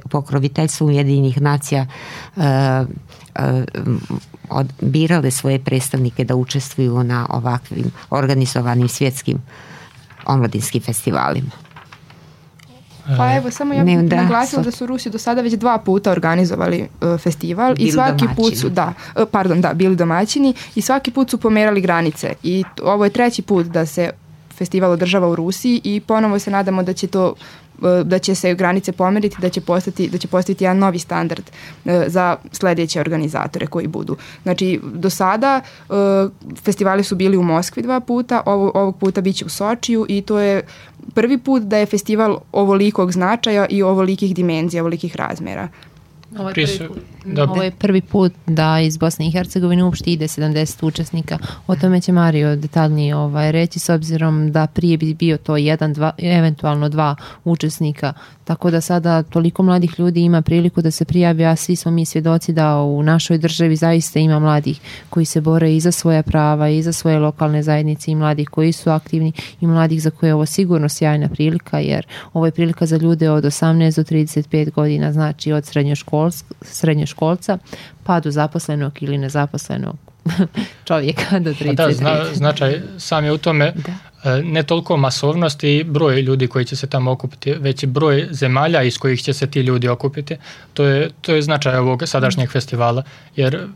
pokroviteljstvom Ujedinjenih nacija e, e, od, birale svoje predstavnike da učestvuju na ovakvim organizovanim svjetskim omladinskim festivalima. Pa evo, samo ja bih da, naglasila da su Rusi do sada već dva puta organizovali uh, festival, bili i svaki domaćini. put su, da, uh, pardon, da, bili domaćini, i svaki put su pomerali granice, i ovo je treći put da se festival održava u Rusiji, i ponovo se nadamo da će to da će se granice pomeriti, da će postati, da će postati jedan novi standard uh, za sljedeće organizatore koji budu. Znači, do sada uh, festivali su bili u Moskvi dva puta, ovo, ovog puta bit će u Sočiju, i to je prvi put da je festival ovolikog značaja i ovolikih dimenzija, ovolikih razmjera. Ovo je, prvi put, ovo je prvi put da iz Bosne i Hercegovine uopšte ide sedamdeset učesnika. O tome će Mario detaljnije ovaj, reći, s obzirom da prije bi bio to jedan, dva, eventualno dva učesnika. Tako da sada toliko mladih ljudi ima priliku da se prijavi, a svi smo mi svjedoci da u našoj državi zaista ima mladih koji se bore i za svoja prava i za svoje lokalne zajednice, i mladih koji su aktivni, i mladih za koje je ovo sigurno sjajna prilika, jer ovo je prilika za ljude od osamnaest do trideset pet godina, znači od srednjoškolskog srednjoškolca pa do zaposlenog ili nezaposlenog čovjeka do trideset pet. Da, zna, značaj sam je u tome da. Ne toliko masovnost i broj ljudi koji će se tamo okupiti, već i broj zemalja iz kojih će se ti ljudi okupiti. To je, to je značaj ovog sadašnjeg mm. festivala, jer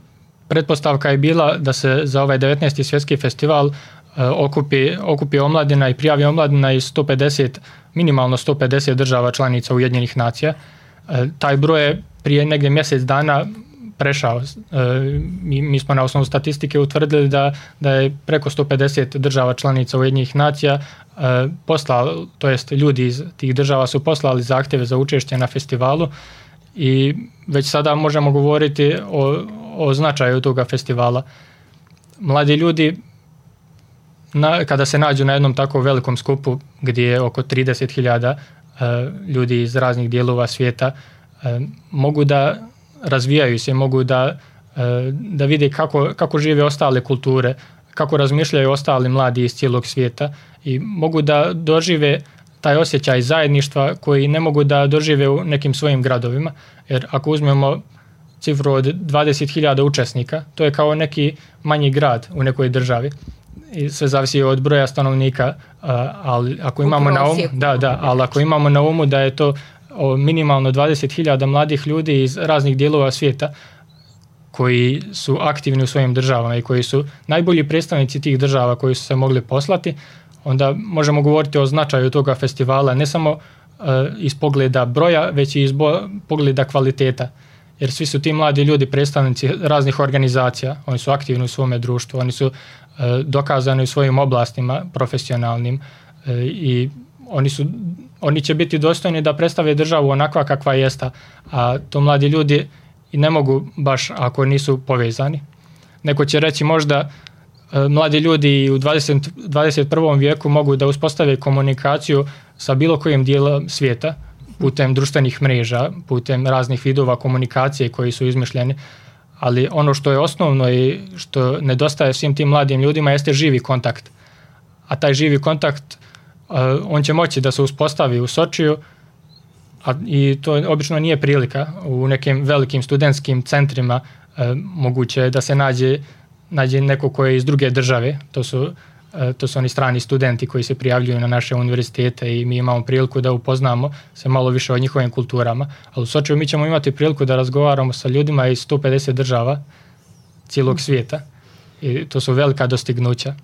pretpostavka je bila da se za ovaj devetnaesti svjetski festival uh, okupi, okupi omladina i prijavi omladina iz sto pedeset, minimalno sto pedeset država članica Ujedinjenih nacija. Uh, taj broj je prije negdje mjesec dana prešao. E, mi, mi smo na osnovu statistike utvrdili da, da je preko sto pedeset država članica Ujedinjenih nacija e, poslali, to jest ljudi iz tih država su poslali zahtjeve za učešće na festivalu, i već sada možemo govoriti o, o značaju toga festivala. Mladi ljudi, na, kada se nađu na jednom tako velikom skupu gdje je oko trideset hiljada uh, ljudi iz raznih dijelova svijeta, uh, mogu da razvijaju se, mogu da, uh, da vide kako, kako žive ostale kulture, kako razmišljaju ostali mladi iz cijelog svijeta i mogu da dožive taj osjećaj zajedništva koji ne mogu da dožive u nekim svojim gradovima. Jer ako uzmemo cifru od dvadeset hiljada učesnika, to je kao neki manji grad u nekoj državi. I sve zavisi od broja stanovnika, ali ako imamo na umu, da, da, ali ako imamo na umu da je to minimalno dvadeset hiljada mladih ljudi iz raznih dijelova svijeta koji su aktivni u svojim državama i koji su najbolji predstavnici tih država koji su se mogli poslati, onda možemo govoriti o značaju toga festivala ne samo uh, iz pogleda broja, već i iz bo- pogleda kvaliteta. Jer svi su ti mladi ljudi predstavnici raznih organizacija, oni su aktivni u svome društvu, oni su uh, dokazani u svojim oblastima profesionalnim uh, i oni, su, oni će biti dostojni da predstave državu onakva kakva jesta, a to mladi ljudi i ne mogu baš ako nisu povezani. Neko će reći možda mladi ljudi u dvadeset prvom vijeku mogu da uspostave komunikaciju sa bilo kojim dijelom svijeta putem društvenih mreža, putem raznih vidova komunikacije koji su izmišljeni, ali ono što je osnovno i što nedostaje svim tim mladim ljudima jeste živi kontakt. A taj živi kontakt on će moći da se uspostavi u Sočiju, a i to obično nije prilika. U nekim velikim studentskim centrima moguće je da se nađe nađe neko ko je iz druge države, to su, to su oni strani studenti koji se prijavljuju na naše univerzitete i mi imamo priliku da upoznamo se malo više o njihovim kulturama, ali u Sočiju mi ćemo imati priliku da razgovaramo sa ljudima iz sto pedeset država cijelog svijeta i to su velika dostignuća.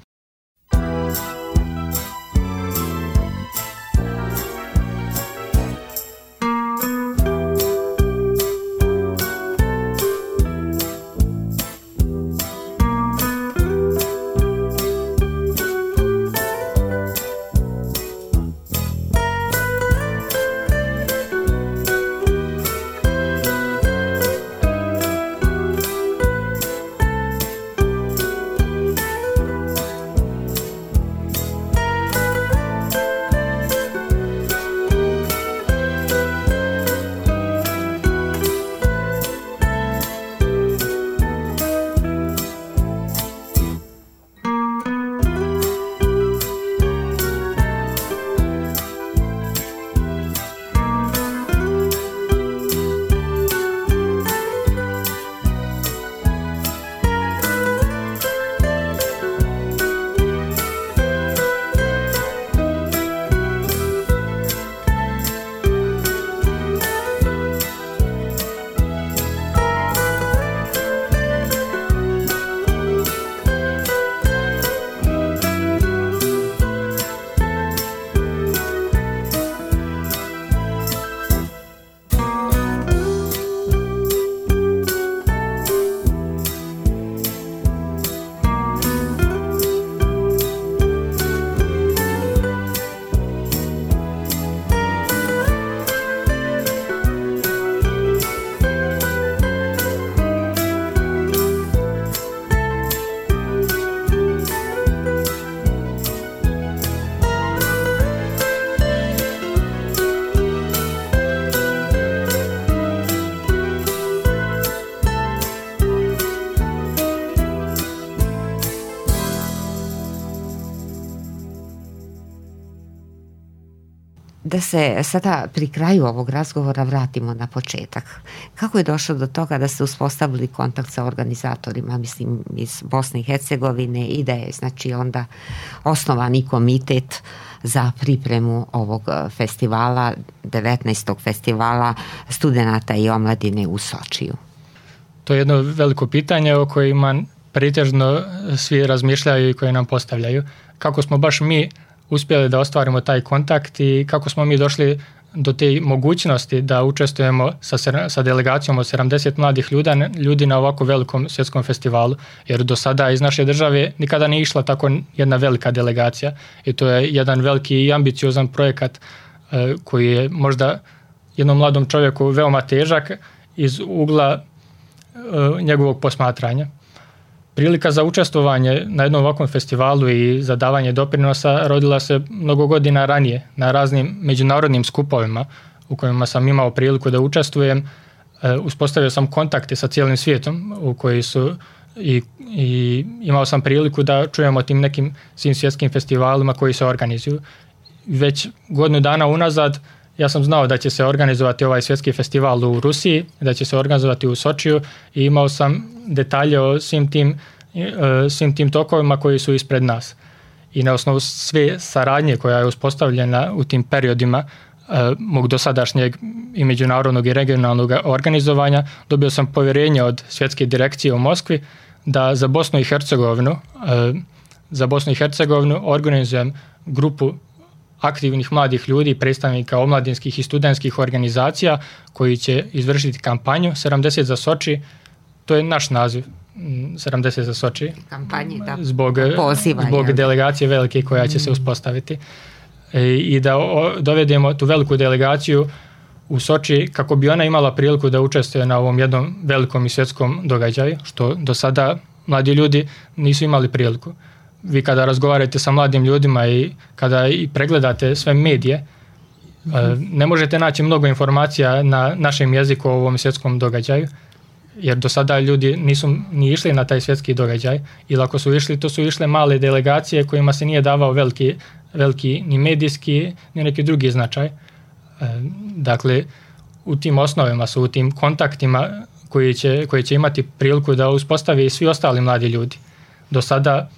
Da se sada pri kraju ovog razgovora vratimo na početak. Kako je došlo do toga da ste uspostavili kontakt sa organizatorima, mislim, iz Bosne i Hercegovine i da je, znači, onda osnovani komitet za pripremu ovog festivala, devetnaestog festivala studenata i omladine u Sočiju? To je jedno veliko pitanje o kojima pretežno svi razmišljaju i koje nam postavljaju. Kako smo baš mi uspjeli da ostvarimo taj kontakt i kako smo mi došli do te mogućnosti da učestvujemo sa, sa delegacijom od sedamdeset mladih ljuda, ljudi na ovako velikom svjetskom festivalu, jer do sada iz naše države nikada nije išla tako jedna velika delegacija i to je jedan veliki i ambiciozan projekat eh, koji je možda jednom mladom čovjeku veoma težak iz ugla njegovog posmatranja. Prilika za učestvovanje na jednom ovakvom festivalu i za davanje doprinosa rodila se mnogo godina ranije na raznim međunarodnim skupovima u kojima sam imao priliku da učestvujem. Uspostavio sam kontakte sa cijelim svijetom u koji su i, i imao sam priliku da čujem o tim nekim svim svjetskim festivalima koji se organizuju. Već godinu dana unazad ja sam znao da će se organizovati ovaj svjetski festival u Rusiji, da će se organizovati u Sočiju i imao sam detalje o svim tim, svim tim tokovima koji su ispred nas. I na osnovu sve saradnje koja je uspostavljena u tim periodima mog dosadašnjeg i međunarodnog i regionalnog organizovanja, dobio sam povjerenje od svjetske direkcije u Moskvi da za Bosnu i Hercegovinu, za Bosnu i Hercegovinu organizujem grupu aktivnih mladih ljudi, predstavnika omladinskih i studentskih organizacija koji će izvršiti kampanju sedamdeset za Soči. To je naš naziv, sedamdeset za Soči. Kampanji, da. Zbog, Poziva, zbog delegacije velike koja će se uspostaviti. I da dovedemo tu veliku delegaciju u Soči kako bi ona imala priliku da učestvuje na ovom jednom velikom i svjetskom događaju, što do sada mladi ljudi nisu imali priliku. Vi kada razgovarate sa mladim ljudima i kada i pregledate sve medije, ne možete naći mnogo informacija na našem jeziku o ovom svjetskom događaju, jer do sada ljudi nisu ni išli na taj svjetski događaj, ili ako su išli, to su išle male delegacije kojima se nije davao veliki, veliki ni medijski, ni neki drugi značaj. Dakle, u tim osnovima su, u tim kontaktima koji će, koji će imati priliku da uspostavi i svi ostali mladi ljudi. Do sada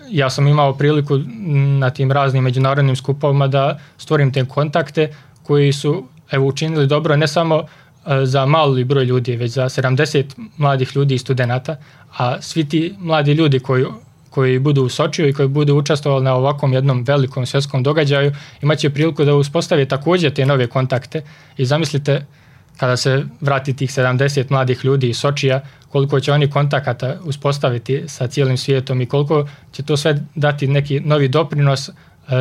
ja sam imao priliku na tim raznim međunarodnim skupovima da stvorim te kontakte koji su evo, učinili dobro ne samo za mali broj ljudi, već za sedamdeset mladih ljudi i studenata, a svi ti mladi ljudi koji, koji budu u Sočiju i koji budu učestvovali na ovakvom jednom velikom svjetskom događaju imat će priliku da uspostave također te nove kontakte i zamislite kada se vrati tih sedamdeset mladih ljudi iz Sočija, koliko će oni kontakata uspostaviti sa cijelim svijetom i koliko će to sve dati neki novi doprinos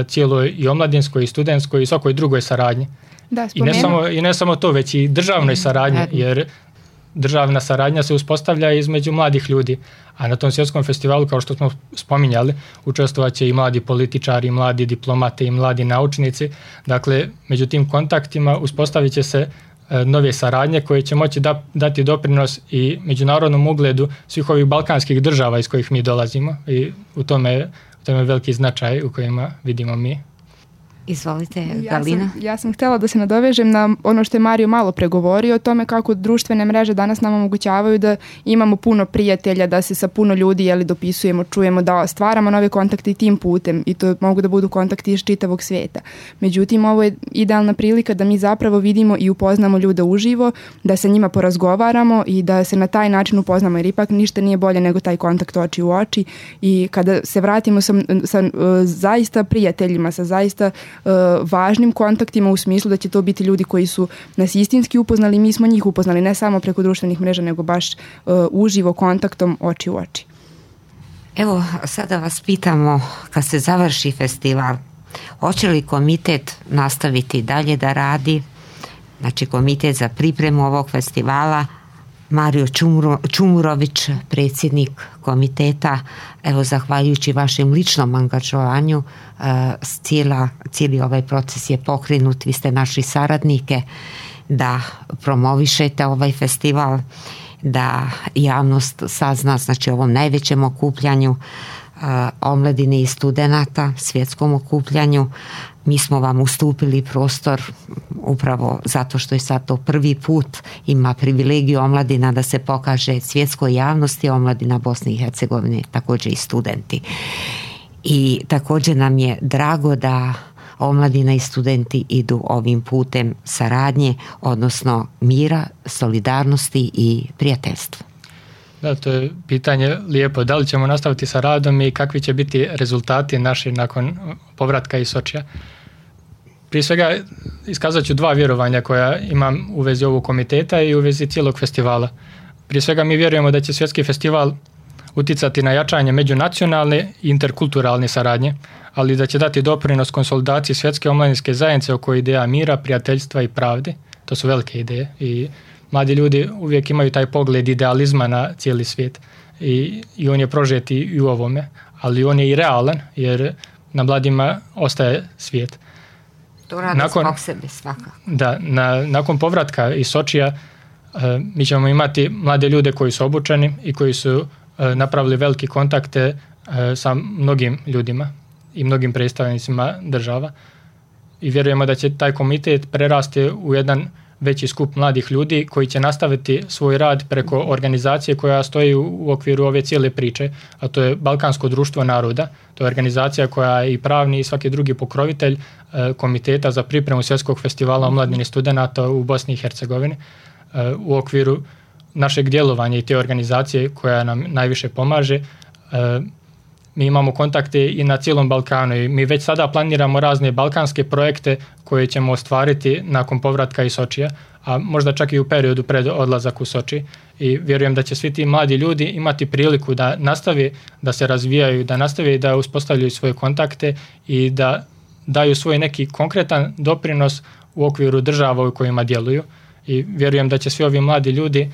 cijeloj i omladinskoj i studentskoj i svakoj drugoj saradnji. Da, I, ne samo, I ne samo to, već i državnoj saradnji, jer državna saradnja se uspostavlja između mladih ljudi, a na tom svjetskom festivalu, kao što smo spominjali, učestvovat će i mladi političari, i mladi diplomate, i mladi naučnici. Dakle, među tim kontaktima uspostavit će se nove saradnje koje će moći da, dati doprinos i međunarodnom ugledu svih ovih balkanskih država iz kojih mi dolazimo i u tome, u tome je veliki značaj u kojima vidimo mi. Izvolite, Galina. Ja sam, ja sam htjela da se nadovežem na ono što je Mario malo pregovorio o tome kako društvene mreže danas nam omogućavaju da imamo puno prijatelja, da se sa puno ljudi jeli, dopisujemo, čujemo, da stvaramo nove kontakte i tim putem i to mogu da budu kontakti iz čitavog svijeta. Međutim, ovo je idealna prilika da mi zapravo vidimo i upoznamo ljude uživo, da sa njima porazgovaramo i da se na taj način upoznamo, jer ipak ništa nije bolje nego taj kontakt oči u oči i kada se vratimo sa, sa uh, zaista prijateljima, sa zaista važnim kontaktima u smislu da će to biti ljudi koji su nas istinski upoznali, mi smo njih upoznali ne samo preko društvenih mreža, nego baš uh, uživo kontaktom oči u oči. Evo, sada vas pitamo, kad se završi festival, hoće li komitet nastaviti dalje da radi? Znači, komitet za pripremu ovog festivala, Mario Čumuro, Čumurović, predsjednik komiteta, evo zahvaljujući vašem ličnom angažovanju cijela, cijeli ovaj proces je pokrenut, vi ste našli saradnike da promovišete ovaj festival, da javnost sazna, znači ovom najvećem okupljanju omladine i studenata, svjetskom okupljanju. Mi smo vam ustupili prostor upravo zato što je sad to prvi put, ima privilegiju omladina da se pokaže svjetskoj javnosti, omladina Bosne i Hercegovine, također i studenti. I također nam je drago da omladina i studenti idu ovim putem saradnje, odnosno mira, solidarnosti i prijateljstva. Da, to je pitanje lijepo. Da li ćemo nastaviti sa radom i kakvi će biti rezultati naši nakon povratka iz Sočija? Prije svega iskazat ću dva vjerovanja koja imam u vezi ovog komiteta i u vezi cijelog festivala. Prije svega mi vjerujemo da će svjetski festival uticati na jačanje međunacionalne i interkulturalne saradnje, ali da će dati doprinos konsolidaciji svjetske omladinske zajednice oko ideja mira, prijateljstva i pravde. To su velike ideje i mladi ljudi uvijek imaju taj pogled idealizma na cijeli svijet i, i on je prožet i u ovome, ali on je i realan jer na mladima ostaje svijet. To radi nakon, zbog sebe svakako. Da, na, nakon povratka iz Sočija uh, mi ćemo imati mlade ljude koji su obučeni i koji su uh, napravili velike kontakte uh, sa mnogim ljudima i mnogim predstavnicima država i vjerujemo da će taj komitet prerasti u jedan veći skup mladih ljudi koji će nastaviti svoj rad preko organizacije koja stoji u, u okviru ove cijele priče, a to je Balkansko društvo naroda. To je organizacija koja je i pravni i svaki drugi pokrovitelj e, komiteta za pripremu svjetskog festivala omladine studenata u Bosni i Hercegovini. E, u okviru našeg djelovanja i te organizacije koja nam najviše pomaže, e, mi imamo kontakte i na cijelom Balkanu i mi već sada planiramo razne balkanske projekte koje ćemo ostvariti nakon povratka iz Sočija, a možda čak i u periodu pred odlazak u Soči. I vjerujem da će svi ti mladi ljudi imati priliku da nastave da se razvijaju, da nastave da uspostavljaju svoje kontakte i da daju svoj neki konkretan doprinos u okviru država u kojima djeluju. I vjerujem da će svi ovi mladi ljudi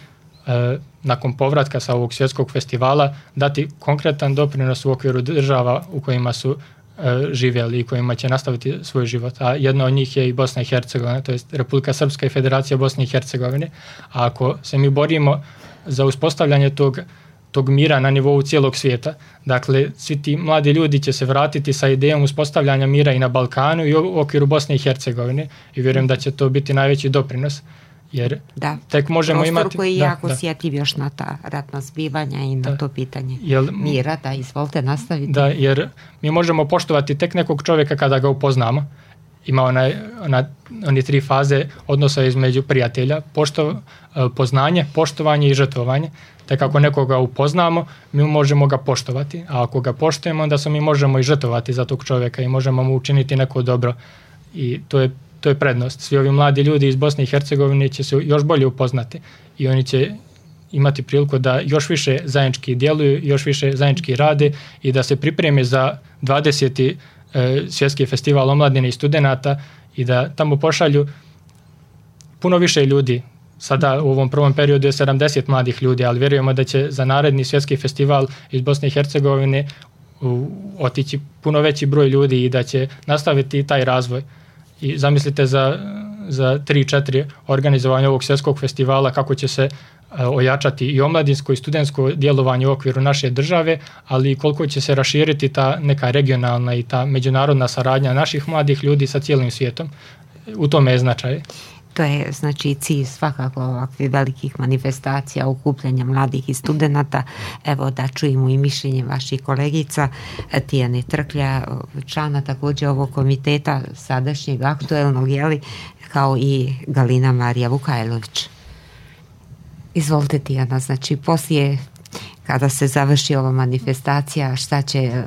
nakon povratka sa ovog svjetskog festivala dati konkretan doprinos u okviru država u kojima su e, živjeli i kojima će nastaviti svoj život. A jedna od njih je i Bosna i Hercegovina, to je Republika Srpska i Federacija Bosne i Hercegovine. A ako se mi borimo za uspostavljanje tog, tog mira na nivou cijelog svijeta, dakle svi ti mladi ljudi će se vratiti sa idejom uspostavljanja mira i na Balkanu i u okviru Bosne i Hercegovine i vjerujem da će to biti najveći doprinos. Jer da, tek možemo prostor imati, koji je da, jako da. osjetljiv još na ta ratna zbivanja i na da. to pitanje Jel, mira, da izvolite nastaviti. Da, jer mi možemo poštovati tek nekog čovjeka kada ga upoznamo. Ima onaj, ona, oni tri faze odnosa između prijatelja, pošto, poznanje, poštovanje i žrtvovanje. Tek ako nekoga upoznamo, mi možemo ga poštovati, a ako ga poštujemo, onda se mi možemo i žrtvovati za tog čovjeka i možemo mu učiniti neko dobro. I to je To je prednost. Svi ovi mladi ljudi iz Bosne i Hercegovine će se još bolje upoznati i oni će imati priliku da još više zajednički djeluju, još više zajednički rade i da se pripreme za dvadeseti E, svjetski festival omladine i studenata i da tamo pošalju puno više ljudi. Sada u ovom prvom periodu je sedamdeset mladih ljudi, ali vjerujemo da će za naredni svjetski festival iz Bosne i Hercegovine u, otići puno veći broj ljudi i da će nastaviti taj razvoj. I zamislite za, za tri četiri organizovanja ovog svjetskog festivala kako će se ojačati i omladinsko i studentsko djelovanje u okviru naše države, ali i koliko će se raširiti ta neka regionalna i ta međunarodna saradnja naših mladih ljudi sa cijelim svijetom. U tome je značaj. To je znači cilj svakako ovakvih velikih manifestacija, okupljanja mladih i studenata. Evo da čujemo i mišljenje vaših kolegica Tijane Trklja, člana također ovog komiteta sadašnjeg aktuelnog, jeli, kao i Galina Marija Vukajlović. Izvolite Tijana, znači poslije kada se završi ova manifestacija, šta će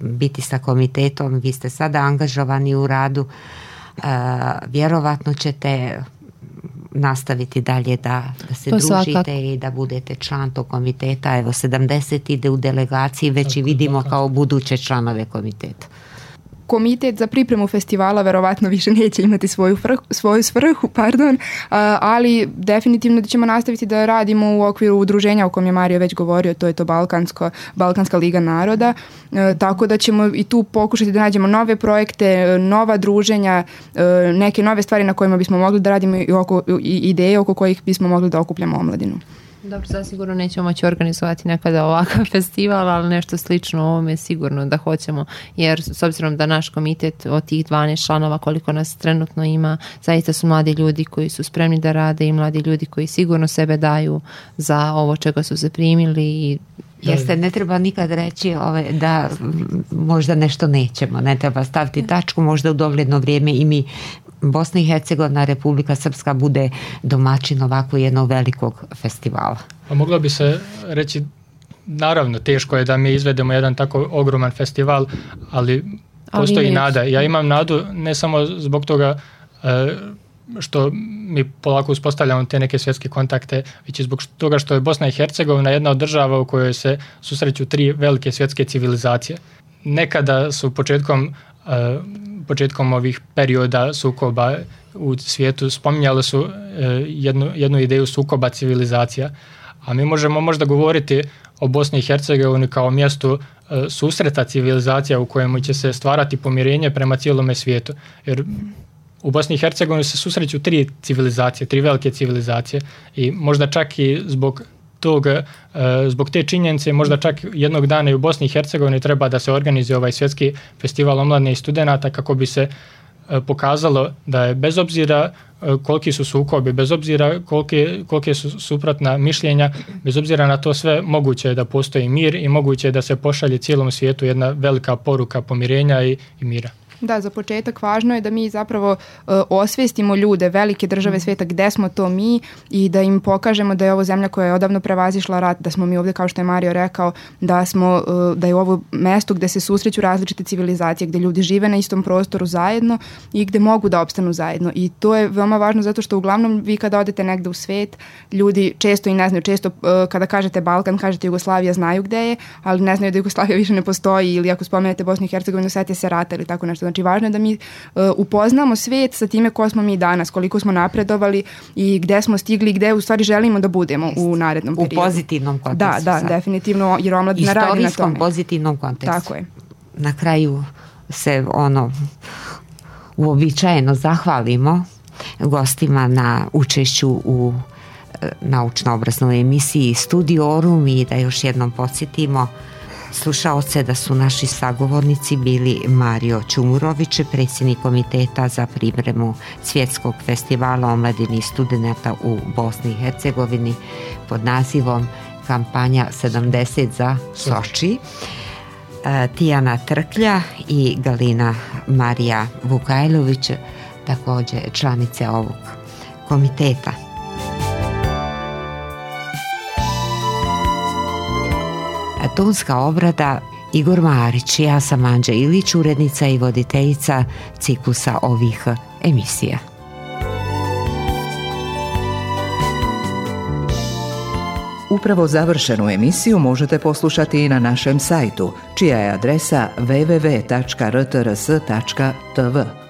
biti sa komitetom? Vi ste sada angažovani u radu, Uh, vjerovatno ćete nastaviti dalje da, da se to družite svakako. I da budete član tog komiteta. Evo sedamdeset ide u delegaciji, već tako, i vidimo tako. Kao buduće članove komiteta. Komitet za pripremu festivala verovatno više neće imati svoju, frh, svoju svrhu, pardon, ali definitivno da ćemo nastaviti da radimo u okviru udruženja o kojem je Mario već govorio, to je to Balkansko, Balkanska liga naroda, tako da ćemo i tu pokušati da nađemo nove projekte, nova druženja, neke nove stvari na kojima bismo mogli da radimo i, oko, i ideje oko kojih bismo mogli da okupljamo omladinu. Dobro, zasigurno nećemo moći organizovati nekada ovakav festival, ali nešto slično ovome je sigurno da hoćemo, jer s obzirom da naš komitet od tih dvanaest članova koliko nas trenutno ima, zaista su mladi ljudi koji su spremni da rade i mladi ljudi koji sigurno sebe daju za ovo čega su se primili i Jeste, ne treba nikad reći ove, da možda nešto nećemo, ne treba staviti tačku, možda u dogledno vrijeme i mi Bosna i Hercegovina, Republika Srpska bude domaćin ovako jednog velikog festivala. Pa moglo bi se reći, naravno teško je da mi izvedemo jedan tako ogroman festival, ali postoji ali nada. Ja imam nadu ne samo zbog toga što mi polako uspostavljamo te neke svjetske kontakte, već i zbog toga što je Bosna i Hercegovina jedna od država u kojoj se susreću tri velike svjetske civilizacije. Nekada su početkom početkom ovih perioda sukoba u svijetu spominjali su jednu, jednu ideju sukoba civilizacija, a mi možemo možda govoriti o Bosni i Hercegovini kao mjestu susreta civilizacija u kojemu će se stvarati pomirenje prema cijelome svijetu. Jer u Bosni i Hercegovini se susreću tri civilizacije, tri velike civilizacije i možda čak i zbog tog, zbog te činjenice možda čak jednog dana i u Bosni i Hercegovini treba da se organizuje ovaj svjetski festival omladine i studenata kako bi se pokazalo da je bez obzira koliki su sukobi, bez obzira kolike, kolike su suprotna mišljenja, bez obzira na to sve moguće je da postoji mir i moguće je da se pošalje cijelom svijetu jedna velika poruka pomirenja i, i mira. Da, za početak važno je da mi zapravo uh, osvijestimo ljude, velike države svijeta gde smo to mi i da im pokažemo da je ovo zemlja koja je odavno prevazišla rat, da smo mi ovdje, kao što je Mario rekao, da, smo, uh, da je ovo mesto gde se susreću različite civilizacije, gde ljudi žive na istom prostoru zajedno i gde mogu da opstanu zajedno. I to je veoma važno zato što uglavnom vi kada odete negde u svijet, ljudi često i ne znaju, često uh, kada kažete Balkan, kažete Jugoslavija, znaju gde je, ali ne znaju da Jugoslavija više ne postoji ili ako spomenete Bosnu i Hercegovinu, setite se rata ili tako nešto. Znači, važno je da mi uh, upoznamo svijet sa time ko smo mi danas, koliko smo napredovali i gde smo stigli i gde u stvari želimo da budemo u narednom periodu. U pozitivnom kontekstu. Da, da, sad. Definitivno, jer omladina radi na tome. Istorijskom pozitivnom kontekstu. Tako je. Na kraju se ono uobičajeno zahvalimo gostima na učešću u naučno-obraznovoj emisiji Studiorum i da još jednom podsjetimo slušaoce da su naši sagovornici bili Mario Ćumurović, predsjednik komiteta za pripremu Svjetskog festivala omladine i studenata u Bosni i Hercegovini pod nazivom Kampanja sedamdeset za Soči, Tijana Trklja i Galina Marija Vukajlović, također članice ovog komiteta. Tonska obrada Igor Marić, ja sam Anđa Ilić, urednica i voditeljica ciklusa ovih emisija. Upravo završenu emisiju možete poslušati i na našem sajtu, čija je adresa w w w tačka r t r s tačka t v.